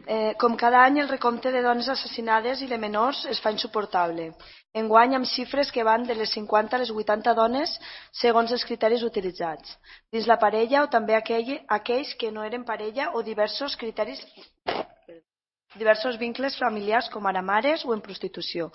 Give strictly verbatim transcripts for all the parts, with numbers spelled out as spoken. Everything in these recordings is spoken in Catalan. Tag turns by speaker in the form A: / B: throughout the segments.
A: Eh, com cada any, el recompte de dones assassinades i de menors es fa insuportable. Enguany, amb xifres que van de les cinquanta a les vuitanta dones segons els criteris utilitzats, dins la parella o també aquell, aquells que no eren parella o diversos criteris diversos vincles familiars com ara mares o en prostitució,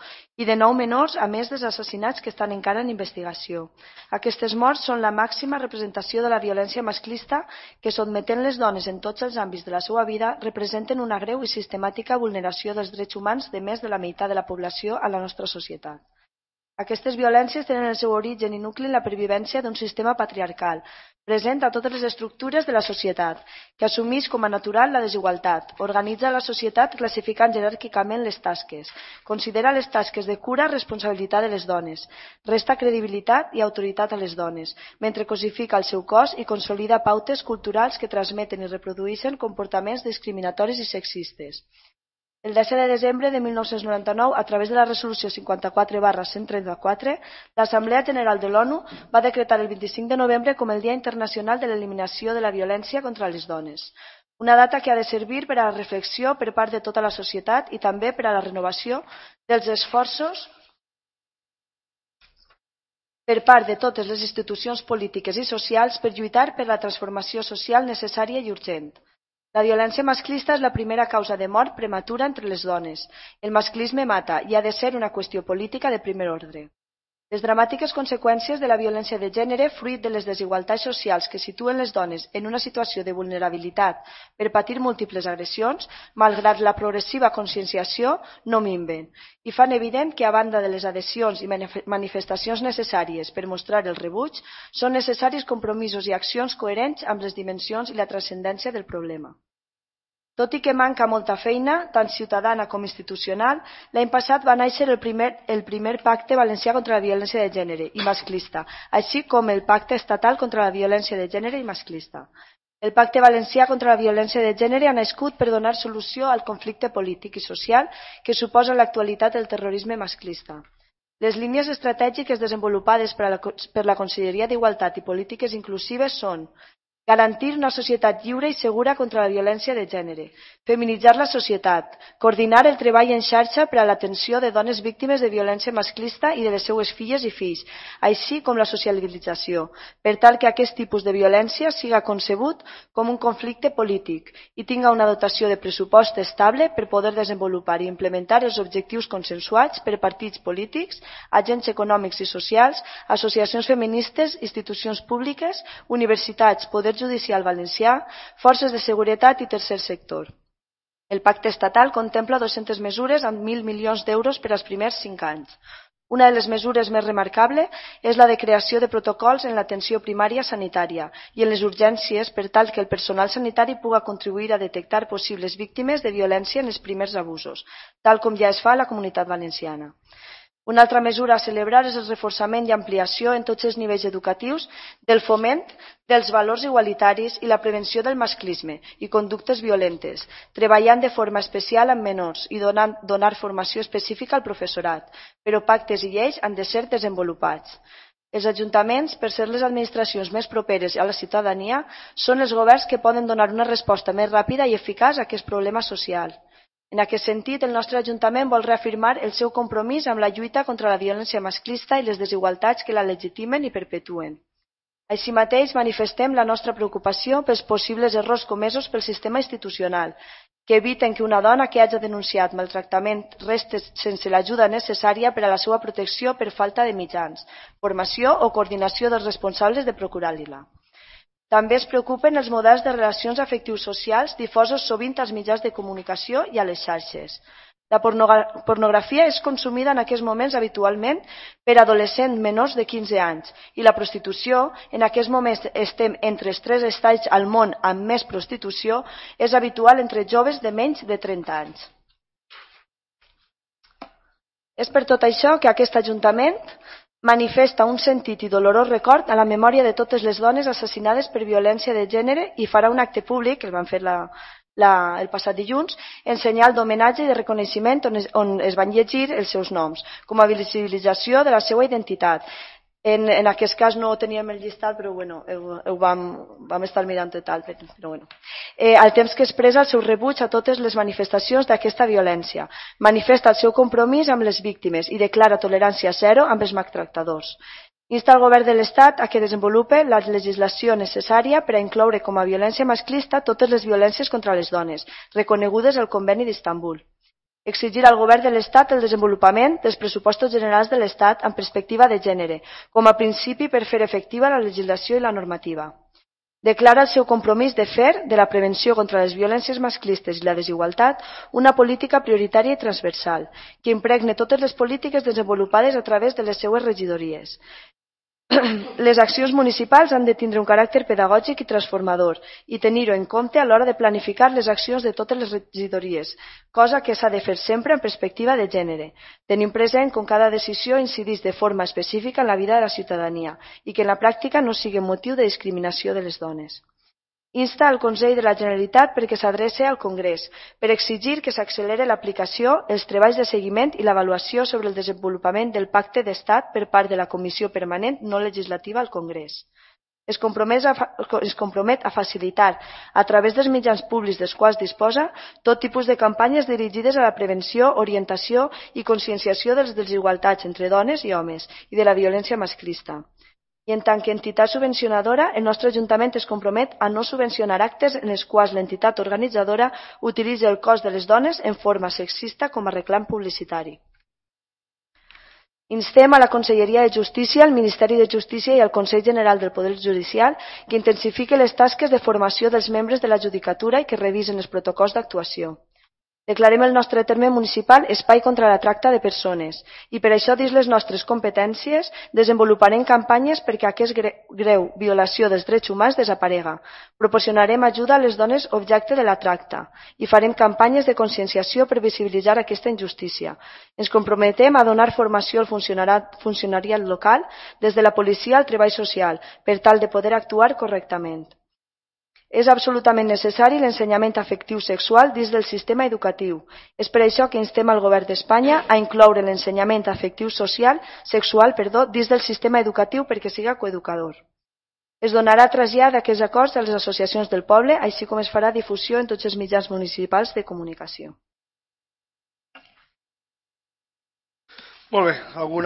A: i de nou menors, a més dels assassinats que estan encara en investigació. Aquestes morts són la màxima representació de la violència masclista que, sotmetent les dones en tots els àmbits de la seva vida, representen una greu i sistemàtica vulneració dels drets humans de més de la meitat de la població a la nostra societat. Aquestes violències tenen el seu origen i nucli en la pervivència d'un sistema patriarcal, present a totes les estructures de la societat, que assumeix com a natural la desigualtat, organitza la societat classificant jeràrquicament les tasques, considera les tasques de cura responsabilitat de les dones, resta credibilitat i autoritat a les dones, mentre cosifica el seu cos i consolida pautes culturals que transmeten i reprodueixen comportaments discriminatoris i sexistes. El disset de desembre de mil nou-cents noranta-nou, a través de la resolució cinquanta-quatre barra cent trenta-quatre, l'Assemblea General de l'ONU va decretar el vint-i-cinc de novembre com el Dia Internacional de l'Eliminació de la Violència contra les Dones. Una data que ha de servir per a la reflexió per part de tota la societat i també per a la renovació dels esforços per part de totes les institucions polítiques i socials per lluitar per la transformació social necessària i urgent. La violència masclista és la primera causa de mort prematura entre les dones. El masclisme mata i ha de ser una qüestió política de primer ordre. Les dramàtiques conseqüències de la violència de gènere, fruit de les desigualtats socials que situen les dones en una situació de vulnerabilitat per patir múltiples agressions, malgrat la progressiva conscienciació, no minven, i fan evident que, a banda de les adhesions i manifestacions necessàries per mostrar el rebuig, són necessaris compromisos i accions coherents amb les dimensions i la transcendència del problema. Tot i que manca molta feina, tant ciutadana com institucional, l'any passat va néixer el primer, el primer Pacte Valencià contra la Violència de Gènere i Masclista, així com el Pacte Estatal contra la Violència de Gènere i Masclista. El Pacte Valencià contra la Violència de Gènere ha nascut per donar solució al conflicte polític i social que suposa en l'actualitat el terrorisme masclista. Les línies estratègiques desenvolupades per, a la, per la Conselleria d'Igualtat i Polítiques Inclusives són: garantir una societat lliure i segura contra la violència de gènere, feminitzar la societat, coordinar el treball en xarxa per a l'atenció de dones víctimes de violència masclista i de les seues filles i fills, així com la socialització, per tal que aquest tipus de violència siga concebut com un conflicte polític i tinga una dotació de pressupost estable per poder desenvolupar i implementar els objectius consensuats per partits polítics, agents econòmics i socials, associacions feministes, institucions públiques, universitats, poders judicial valencià, forces de seguretat i tercer sector. El pacte estatal contempla dues-centes mesures amb mil milions d'euros per als primers cinc anys. Una de les mesures més remarcables és la de creació de protocols en l'atenció primària sanitària i en les urgències per tal que el personal sanitari pugui contribuir a detectar possibles víctimes de violència en els primers abusos, tal com ja es fa a la Comunitat Valenciana. Una altra mesura a celebrar és el reforçament i ampliació en tots els nivells educatius del foment dels valors igualitaris i la prevenció del masclisme i conductes violentes, treballant de forma especial amb menors i donant, donar formació específica al professorat, però pactes i lleis han de ser desenvolupats. Els ajuntaments, per ser les administracions més properes a la ciutadania, són els governs que poden donar una resposta més ràpida i eficaç a aquest problema social. En aquest sentit, el nostre Ajuntament vol reafirmar el seu compromís amb la lluita contra la violència masclista i les desigualtats que la legitimen i perpetuen. Així mateix, manifestem la nostra preocupació pels possibles errors comesos pel sistema institucional, que eviten que una dona que hagi denunciat maltractament resti sense l'ajuda necessària per a la seva protecció per falta de mitjans, formació o coordinació dels responsables de procurar-li-la. També es preocupen els models de relacions afectius socials difosos sovint als mitjans de comunicació i a les xarxes. La pornografia és consumida en aquests moments habitualment per adolescents menors de quinze anys i la prostitució, en aquests moments estem entre els tres estats al món amb més prostitució, és habitual entre joves de menys de trenta anys. És per tot això que aquest Ajuntament manifesta un sentit i dolorós record a la memòria de totes les dones assassinades per violència de gènere i farà un acte públic, que el van fer la, la, el passat dilluns, en senyal d'homenatge i de reconeixement on es, on es van llegir els seus noms, com a visibilització de la seva identitat. En, en aquest cas no teníem el llistat, però bueno, ho, ho vam, vam estar mirant i tal. Però bueno. Eh, al temps que expressa el seu rebuig a totes les manifestacions d'aquesta violència, manifesta el seu compromís amb les víctimes i declara tolerància zero amb els maltractadors. Insta el govern de l'Estat a que desenvolupe la legislació necessària per a incloure com a violència masclista totes les violències contra les dones, reconegudes al Conveni d'Istanbul. Exigir al govern de l'Estat el desenvolupament dels pressupostos generals de l'Estat amb perspectiva de gènere, com a principi per fer efectiva la legislació i la normativa. Declara el seu compromís de fer de la prevenció contra les violències masclistes i la desigualtat una política prioritària i transversal, que impregne totes les polítiques desenvolupades a través de les seues regidories. Les accions municipals han de tindre un caràcter pedagògic i transformador i tenir-ho en compte a l'hora de planificar les accions de totes les regidories, cosa que s'ha de fer sempre en perspectiva de gènere, tenint present com cada decisió incideix de forma específica en la vida de la ciutadania i que en la pràctica no sigui motiu de discriminació de les dones. Insta al Consell de la Generalitat perquè s'adreci al Congrés per exigir que s'accelere l'aplicació, els treballs de seguiment i l'avaluació sobre el desenvolupament del Pacte d'Estat per part de la Comissió Permanent no legislativa al Congrés. Es compromet a, es compromet a facilitar, a través dels mitjans públics dels quals disposa, tot tipus de campanyes dirigides a la prevenció, orientació i conscienciació de les desigualtats entre dones i homes i de la violència masclista. I en tant que entitat subvencionadora, el nostre Ajuntament es compromet a no subvencionar actes en els quals l'entitat organitzadora utilitzi el cos de les dones en forma sexista com a reclam publicitari. Instem a la Conselleria de Justícia, al Ministeri de Justícia i al Consell General del Poder Judicial que intensifique les tasques de formació dels membres de la Judicatura i que revisen els protocols d'actuació. Declarem el nostre terme municipal espai contra la tracta de persones i per això, dins les nostres competències, desenvoluparem campanyes perquè aquesta greu violació dels drets humans desaparega. Proporcionarem ajuda a les dones objecte de la tracta i farem campanyes de conscienciació per visibilitzar aquesta injustícia. Ens comprometem a donar formació al funcionariat local des de la policia al treball social per tal de poder actuar correctament. És absolutament necessari l'ensenyament afectiu sexual dins del sistema educatiu. És per això que instem al Govern d'Espanya a incloure l'ensenyament afectiu social, sexual perdó, dins del sistema educatiu perquè siga coeducador. Es donarà trasllat d'aquests acords a les associacions del poble, així com es farà difusió en tots els mitjans municipals de comunicació.
B: Molt bé, alguna